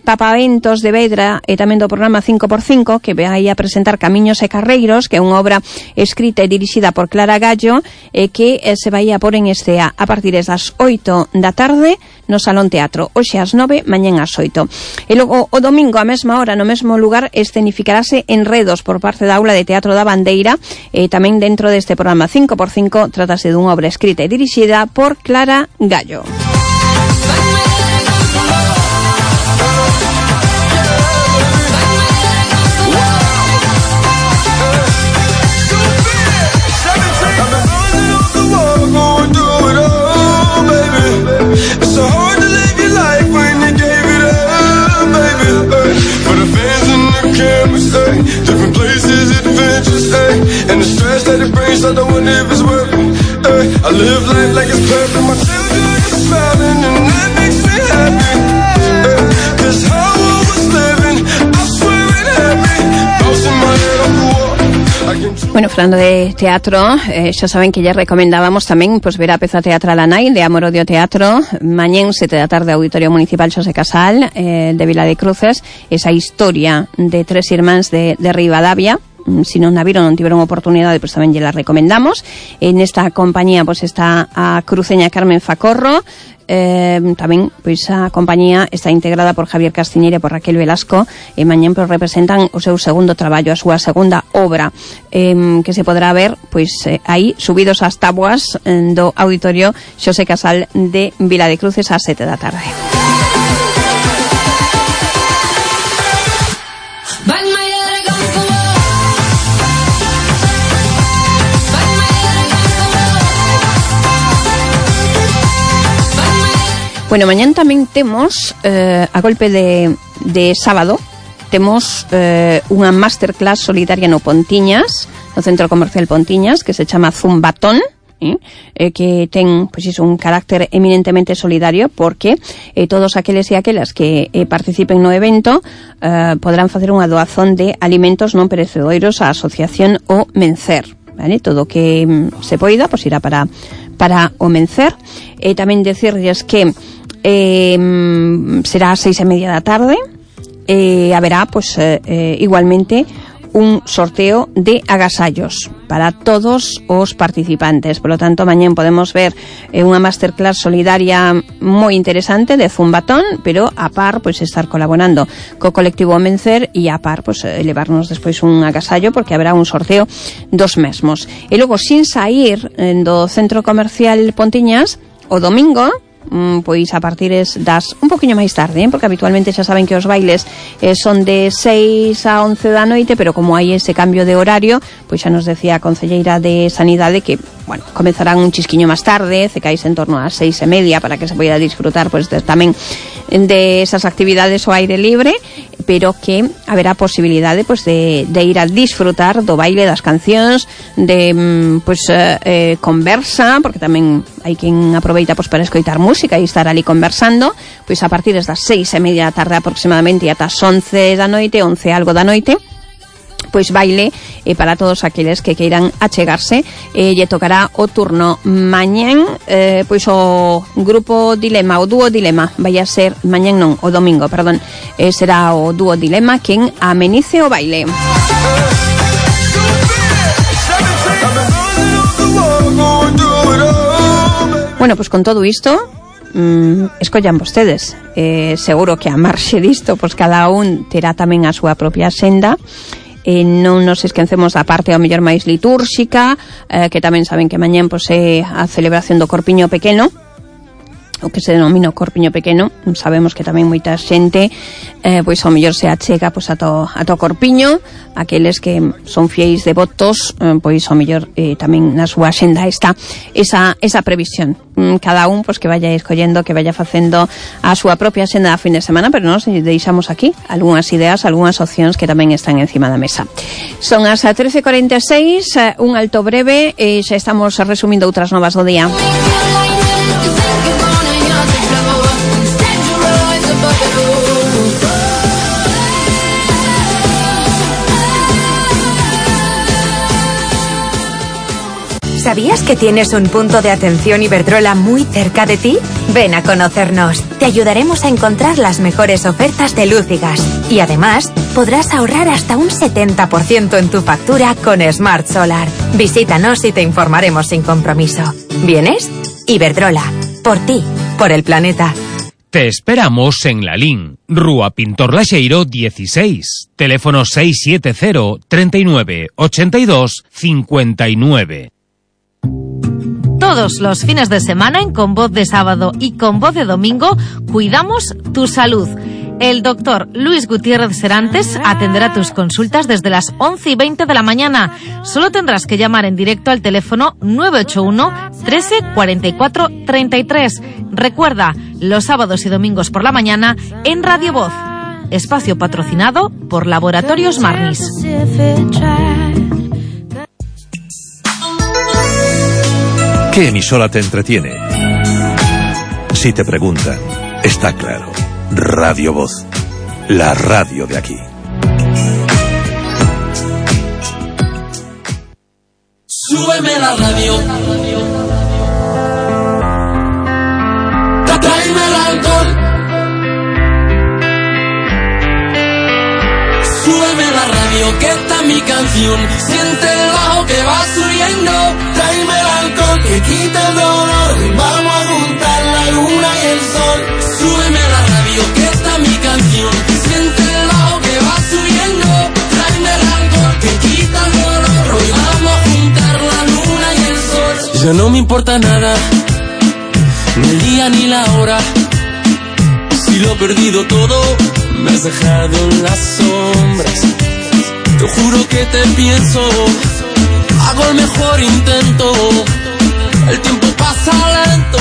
Papaventos de Vedra e tamén do programa 5x5 que vai a presentar Camiños e Carreiros, que é unha obra escrita e dirixida por Clara Gallo que se vai a pôr en escena a partir das 8 da tarde no Salón Teatro, hoxe ás 9, mañén ás 8. E logo o domingo a mesma hora no mesmo lugar escenificarase Enredos por parte da Aula de Teatro da Bandeira e tamén dentro deste programa 5x5 trátase dunha obra escrita e dirixida por Clara Gallo. Different places, adventures, and the stress that it brings, I don't wonder if it's worth it. I live life like it's perfect, my children are smiling, and that makes me happy. Cause how I was living, I swear it had me bouncing my head off the wall. Bueno, falando de teatro, xa saben que lle recomendábamos tamén pois ver a peza teatral Anai de Amor Odio Teatro, mañén 7 da tarde, Auditorio Municipal Xosé Casal de Vila de Cruces, esa historia de tres irmáns de Ribadavia. Si non a viron, non tiveron oportunidade, pois tamén lle la recomendamos. En esta compañía pois está a cruceña Carmen Facorro, tamén pois a compañía está integrada por Javier Castiñeira e por Raquel Velasco, e mañén pois representan o seu segundo traballo, a súa segunda obra, que se podrá ver pois aí subidos ás táboas do Auditorio Xosé Casal de Vila de Cruces ás 7 da tarde. Bueno, mañán tamén temos a golpe de sábado temos unha masterclass solidaria no Pontiñas, no Centro Comercial Pontiñas, que se chama Zumbatón, que ten pois iso, un carácter eminentemente solidario, porque todos aqueles e aquelas que participen no evento podrán facer unha doazón de alimentos non perecedouros á Asociación O Mencer, vale? Todo o que se poida pois irá para o Mencer. Tamén decirles que será ás 6:30 da tarde, haberá pois igualmente un sorteo de agasallos para todos os participantes. Por lo tanto, mañén podemos ver unha masterclass solidaria moi interesante de Zumbatón, pero a par pois estar colaborando co colectivo Mencer e a par pois levarnos despois un agasallo, porque haberá un sorteo dos mesmos. E logo, sin sair do Centro Comercial Pontiñas, o domingo pois a partir das un poquinho máis tarde, porque habitualmente xa saben que os bailes son de 6 a 11 da noite, pero como hai ese cambio de horario, pois xa nos decía a concelleira de Sanidade que, bueno, comezarán un chisquiño máis tarde, cecais en torno ás 6:30 para que se poida disfrutar pois tamén de esas actividades ao aire libre, pero que haberá posibilidade pois de ir a disfrutar do baile, das cancións, de pois conversa, porque tamén hai quen aproveita pois para escoitar música e estar ali conversando, pois a partir das 6:30 da tarde aproximadamente e ata as 11 da noite, 11 algo da noite, pois baile para todos aqueles que queiran achegarse. Lle tocará o turno mañén, pois o grupo Dilema, o dúo Dilema, vai a ser mañén non, o domingo, perdón, será o dúo Dilema quen amenice o baile. Bueno, pois con todo isto, escollan vostedes. Seguro que a marxe disto, pois cada un terá tamén a súa propia senda. Non nos esquecemos da parte ao mellor máis litúrxica, que tamén saben que mañén pois é a celebración do Corpiño Pequeno, o que se denomina o corpiño pequeno. Sabemos que tamén moita xente pois ao mellor se achega pois a to corpiño, aqueles que son fieis devotos, pois ao mellor tamén na súa axenda está esa previsión. Cada un pois que vaya escollendo, que vaya facendo a súa propia axenda da fin de semana, pero nós deixamos aquí algunhas ideas, algunhas opcións que tamén están encima da mesa. Son as 13:46, un alto breve e xa estamos resumindo outras novas do día. ¿Sabías que tienes un punto de atención Iberdrola muy cerca de ti? Ven a conocernos. Te ayudaremos a encontrar las mejores ofertas de luz y gas. Y además, podrás ahorrar hasta un 70% en tu factura con Smart Solar. Visítanos y te informaremos sin compromiso. ¿Vienes? Iberdrola. Por ti. Por el planeta. Te esperamos en Lalín, Rúa Pintor Laxeiro 16, teléfono 670 39 82 59. Todos los fines de semana en Con Voz de Sábado y Con Voz de Domingo cuidamos tu salud. El doctor Luis Gutiérrez Serantes atenderá tus consultas desde las 11:20 de la mañana. Solo tendrás que llamar en directo al teléfono 981 13 44 33. Recuerda, los sábados y domingos por la mañana en Radio Voz. Espacio patrocinado por Laboratorios Marnis. ¿Qué emisora te entretiene? Si te preguntan, está claro. Radio Voz, la radio de aquí. Súbeme la radio. Tráeme el alcohol. Súbeme la radio, que está mi canción. Siente el bajo que va subiendo. Tráeme el alcohol que quita el dolor. Vamos a juntar la luna y el sol. Súbeme la radio, que está mi canción. Siente el bajo que va subiendo. Tráeme el alcohol que quita el dolor. Hoy vamos a juntar la luna y el sol. Ya no me importa nada, ni el día ni la hora. Si lo he perdido todo, me has dejado en las sombras. Te juro que te pienso, hago el mejor intento. El tiempo pasa lento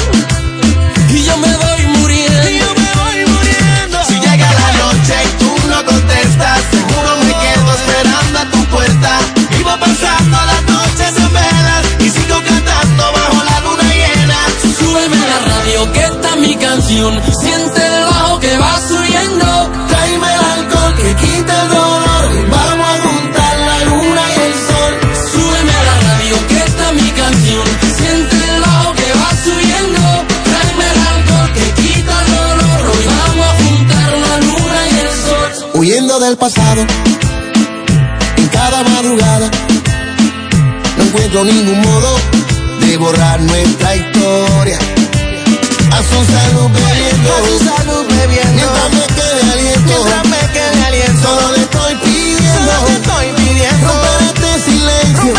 y yo me voy muriendo. Si llega la noche y tú no contestas, seguro me quedo esperando a tu puerta. Vivo pasando las noches en velas y sigo cantando bajo la luna llena. Súbeme la radio, que está mi canción. Siente el bajo que va subiendo. Tráeme el alcohol que quita el dolor. Vamos a juntar la luna y el sol. Súbeme la radio, que está mi canción. Siente el bajo que va subiendo. Tráeme el alcohol que quita el dolor. Hoy vamos a juntar la luna y el sol. Huyendo del pasado, en cada madrugada, no encuentro ningún modo de borrar nuestra historia. A su salud bebiendo, mientras me quede aliento, solo le estoy pidiendo, romper este silencio.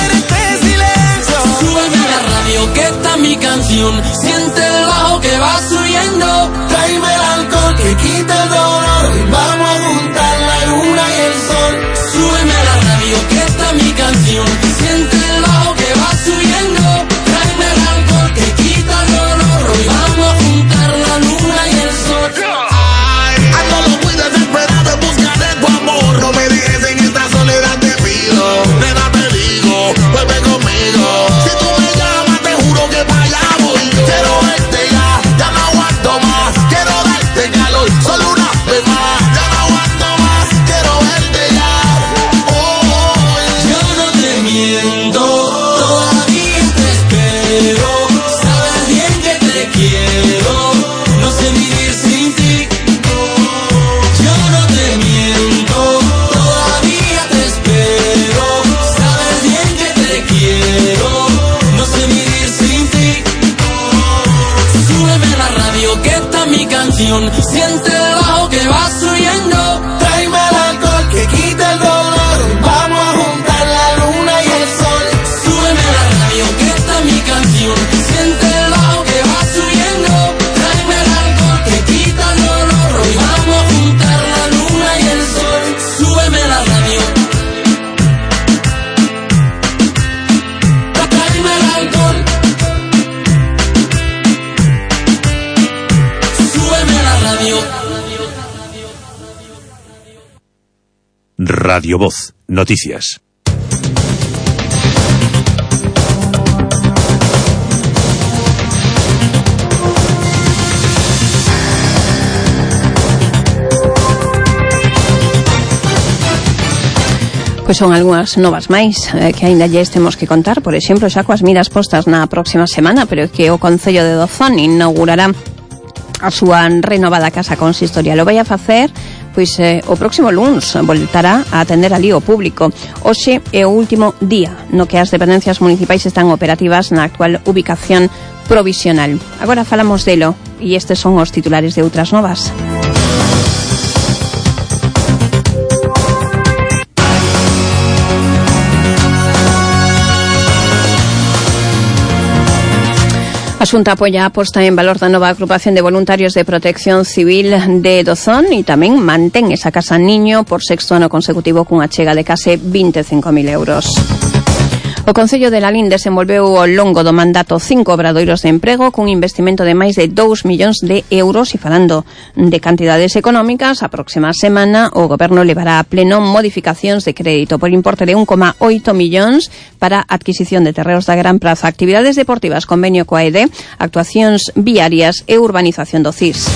Súbeme la radio, que está mi canción. Siente el bajo que va subiendo. Tráeme el alcohol que quita el dolor. Vamos a juntar la luna y el sol. Súbeme la radio, que está mi canción. Siente el bajo que va subiendo. Tráeme el alcohol que quita el dolor. Hoy vamos a juntar la luna y el sol. Ando muy desesperado en busca de tu amor. No me dejes en esta soledad, te pido. Nena, te digo, vuelve conmigo. Si tú me llamas, te juro que para allá voy yo. Quiero verte ya no aguanto más. Quiero darte calor, solo una vez más. Ya no aguanto más, quiero verte ya. Oh, yo no te miento, todavía te espero. Sabes bien que te quiero, no sé vivir sin ti. Yo no te miento, todavía te espero. Sabes bien que te quiero, no sé vivir sin ti. Súbeme la radio, que está mi canción. Siente el bajo que va subiendo. Tráeme el alcohol que quita el dolor. Vamos a juntar la luna y el sol. Súbeme la radio, que está mi canción. Siente el bajo que va subiendo. Tráeme Radio Voz, noticias. Pois son algunhas novas máis que aínda lles temos que contar. Por exemplo, xa coas miras postas na próxima semana, pero que o Concello de Dozón inaugurará a súa renovada casa consistorial. O vai a facer pois o próximo luns, voltará a atender ali o público. Hoxe é o último día no que as dependencias municipais están operativas na actual ubicación provisional. Agora falamos delo e estes son os titulares de outras novas. A Xunta apoia a posta en valor da nova agrupación de voluntarios de protección civil de Dozón e tamén mantén esa casa niño por sexto ano consecutivo cunha chega de case 25.000 euros. O Concello de Lalín desenvolveu ao longo do mandato 5 obradoiros de emprego cun investimento de máis de 2 millóns de euros e falando de cantidades económicas, a próxima semana o Goberno levará a pleno modificacións de crédito por importe de 1,8 millóns para adquisición de terreos da Gran Praza, actividades deportivas, convenio coa EDE, actuacións viarias e urbanización do CIS.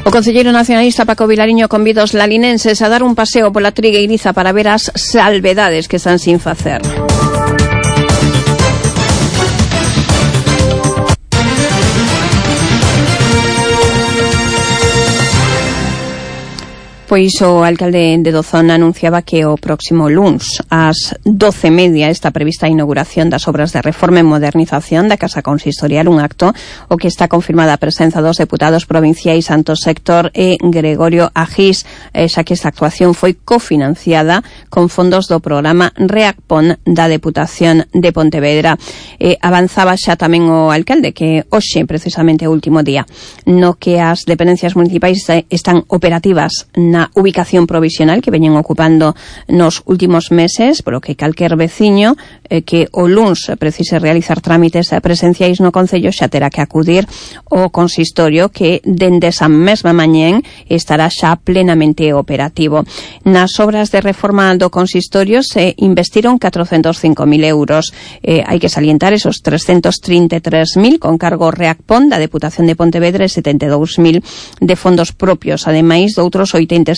O concelleiro nacionalista Paco Vilariño convida os lalinenses a dar un paseo pola Trigueiriza para ver as salvedades que están sin facer. Pois o alcalde de Dozón anunciaba que o próximo luns ás 12:30 está prevista a inauguración das obras de reforma e modernización da Casa Consistorial, un acto o que está confirmada a presenza dos deputados provinciais Santos Héctor e Gregorio Agís, xa que esta actuación foi cofinanciada con fondos do programa REACPON da Deputación de Pontevedra. Avanzaba xa tamén o alcalde que hoxe precisamente o último día no que as dependencias municipais están operativas na ubicación provisional que veñen ocupando nos últimos meses, polo que calquer veciño que o luns precise realizar trámites presenciais no Concello xa terá que acudir ao consistorio que dende esa mesma mañén estará xa plenamente operativo. Nas obras de reforma do consistorio se investiron 405.000 euros. Hai que salientar esos 333.000 con cargo REACPON da Deputación de Pontevedra e 72.000 de fondos propios, ademais de outros 86.000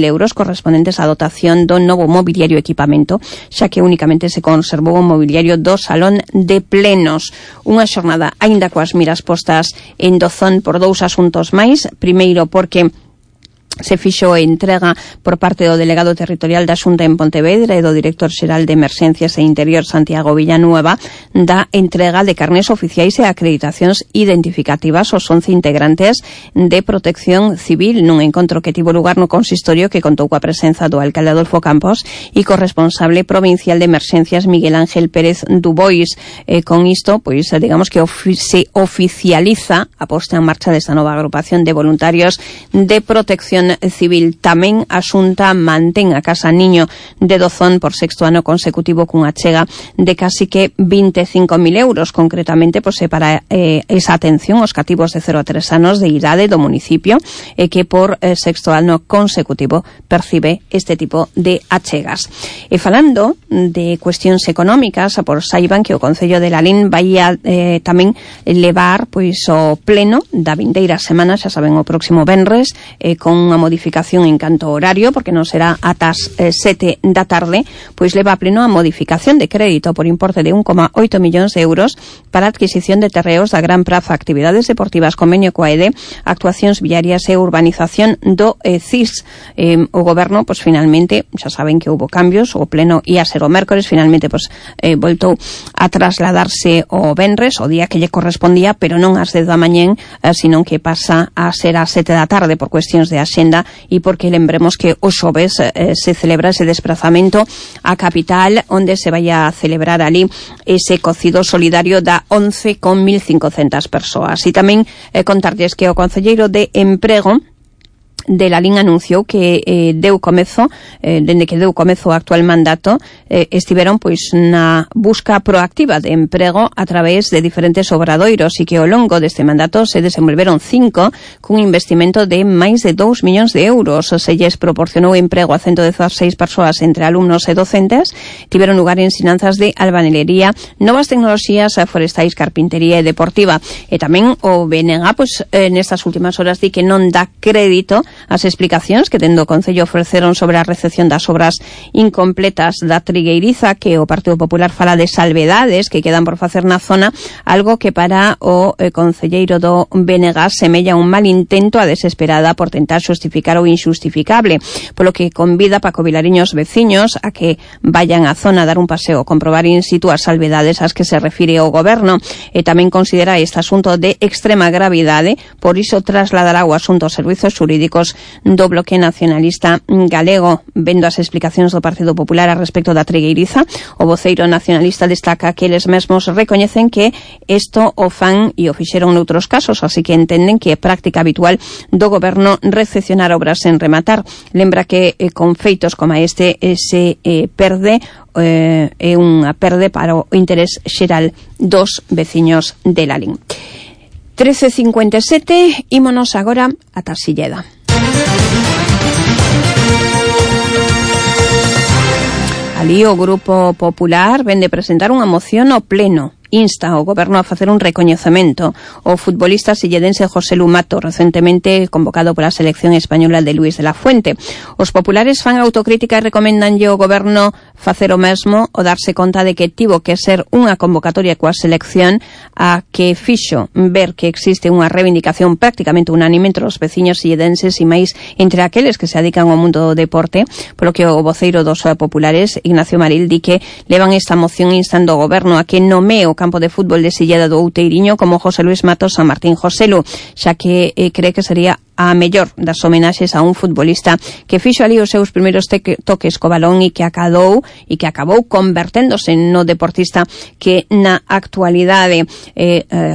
euros correspondentes á dotación do novo mobiliario e equipamento, xa que únicamente se conservou o mobiliario do Salón de Plenos. Unha xornada aínda coas miras postas en Dozón por dous asuntos máis. Primeiro, porque se fixo entrega por parte do delegado territorial da Xunta en Pontevedra e do director xeral de Emerxencias e Interior Santiago Villanueva da entrega de carnés oficiais e acreditacións identificativas aos 11 integrantes de Protección Civil nun encontro que tivo lugar no consistorio que contou coa presenza do alcalde Adolfo Campos e corresponsable provincial de Emerxencias Miguel Ángel Pérez Dubois. Con isto, pois, digamos que se oficializa a posta en marcha desta nova agrupación de voluntarios de protección civil. Tamén a Xunta mantén a Casa Niño de Dozón por sexto ano consecutivo cunha chega de casi que 25.000 euros, concretamente pois, para esa atención aos cativos de 0 a 3 anos de idade do municipio que por sexto ano consecutivo percibe este tipo de achegas. E falando de cuestións económicas, por saiban que o Concello de Lalín vai a tamén levar pois o pleno da vindeira semana, xa saben, o próximo venres, con unha modificación en canto horario, porque non será ata as 7 da tarde, pois leva a pleno a modificación de crédito por importe de 1,8 millóns de euros para a adquisición de terreos da Gran Praza, actividades deportivas, convenio coa EDE, actuacións viarias e urbanización do CIS. O Goberno, pois finalmente, xa saben que houve cambios, o pleno ia ser o mércores, finalmente pois voltou a trasladarse o venres, o día que lle correspondía, pero non ás 10 da mañén, senón que pasa a ser ás 7 da tarde por cuestións de axenda e porque lembremos que o xoves se celebra ese desplazamento á capital onde se vai a celebrar ali ese cocido solidario da 11 con 1.500 persoas. E tamén contarlles que o concelleiro de Emprego de Lalín anunciou que dende que deu comezo o actual mandato, estiveron pois na busca proactiva de emprego a través de diferentes obradoiros e que ao longo deste mandato se desenvolveron 5 cun investimento de máis de 2 millóns de euros. Se lles proporcionou emprego a 116 persoas entre alumnos e docentes. Tiveron lugar ensinanzas de albañilería, novas tecnoloxías forestais, carpintería e deportiva. E tamén o BNG pois nestas últimas horas di que non dá crédito ás explicacións que dende o Concello ofreceron sobre a recepción das obras incompletas da Trigueiriza, que o Partido Popular fala de salvedades que quedan por facer na zona, algo que para o concelleiro do BNG semella un mal intento a desesperada por tentar xustificar o inxustificable, polo que convida Paco Vilariño os veciños a que vayan á zona a dar un paseo, comprobar in situ as salvedades ás que se refire o goberno, e tamén considera este asunto de extrema gravidade, por iso trasladará o asunto aos servizos xurídicos do Bloque Nacionalista Galego. Vendo as explicacións do Partido Popular a respecto da Trigueiriza, o voceiro nacionalista destaca que eles mesmos recoñecen que isto o fan e o fixeron noutros casos, así que entenden que é práctica habitual do goberno recepcionar obras sen rematar. Lembra que con feitos como este se perde é unha perde para o interés xeral dos veciños de Lalín. 13:57, ímonos agora a Tarsilleda. Ali o Grupo Popular vende presentar unha moción ao Pleno. Insta ao goberno a facer un recoñecemento ao futbolista silledense José Lu Mato, recentemente convocado pola selección española de Luis de la Fuente. Os populares fan autocrítica e recomendanlle ao goberno facer o mesmo, o darse conta de que tivo que ser unha convocatoria coa selección a que fixo ver que existe unha reivindicación prácticamente unánime entre os veciños silledenses e máis entre aqueles que se dedican ao mundo do deporte, polo que o voceiro dos populares, Ignacio Maril, di que levan esta moción instando ao goberno a que nomee o campo de fútbol de Silleda do Outeiriño como José Luis Matos San Martín Joselu, xa que cree que sería a mellor das homenaxes a un futbolista que fixo ali os seus primeiros toques co balón e que acabou converténdose no deportista que na actualidade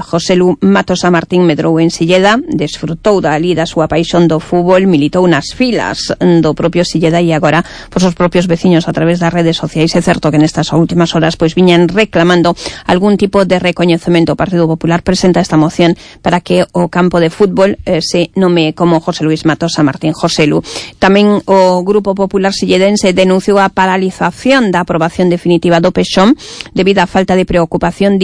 José Lu Matos San Martín medrou en Silleda, desfrutou dali da súa paixón do fútbol, militou nas filas do propio Silleda e agora pois os propios veciños a través das redes sociais, é certo que nestas últimas horas pois viñan reclamando algún tipo de recoñecemento. O Partido Popular presenta esta moción para que o campo de fútbol se nome como José Luis Matos San Martín Joselu. Tamén o Grupo Popular silledense denunciou a paralización da aprobación definitiva do PEXOM debido á falta de preocupación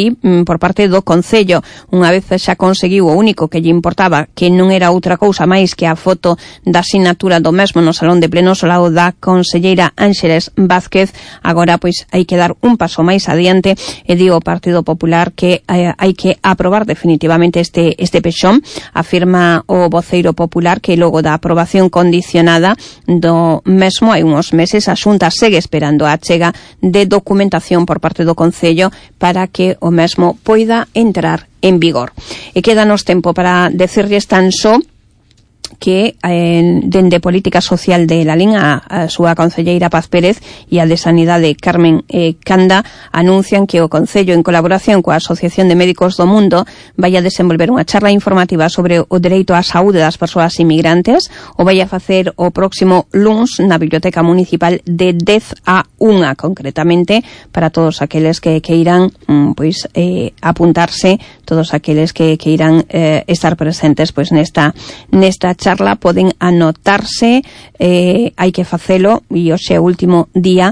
por parte do Concello. Unha vez xa conseguiu o único que lle importaba, que non era outra cousa máis que a foto da sinatura do mesmo no Salón de Plenos ao lado da conselleira Ángeles Vázquez, agora pois hai que dar un paso máis adiante e di o Partido Popular que hai que aprobar definitivamente este PEXOM. Afirma o voceiro popular que logo da aprobación condicionada do mesmo hai uns meses a Xunta segue esperando a chega de documentación por parte do Concello para que o mesmo poida entrar en vigor. E quédanos tempo para decirlles tan só que dende Política Social de Lalín a súa concelleira Paz Pérez e a de Sanidade Carmen Canda anuncian que o Concello, en colaboración coa Asociación de Médicos do Mundo, vai a desenvolver unha charla informativa sobre o dereito á saúde das persoas inmigrantes. O vai a facer o próximo luns na Biblioteca Municipal de 10 a 1, concretamente, para todos aqueles que irán apuntarse, todos aqueles que irán estar presentes pois nesta charla poden anotarse, hai que facelo e hoxe é o último día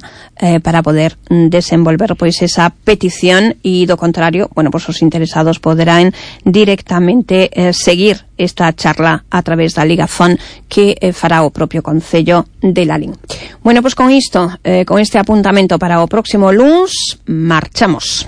para poder desenvolver pois esa petición e do contrario, pois os interesados poderán directamente seguir esta charla a través da ligazón que fará o propio Concello de Lalín. Pois con isto, con este apuntamento para o próximo luns, marchamos.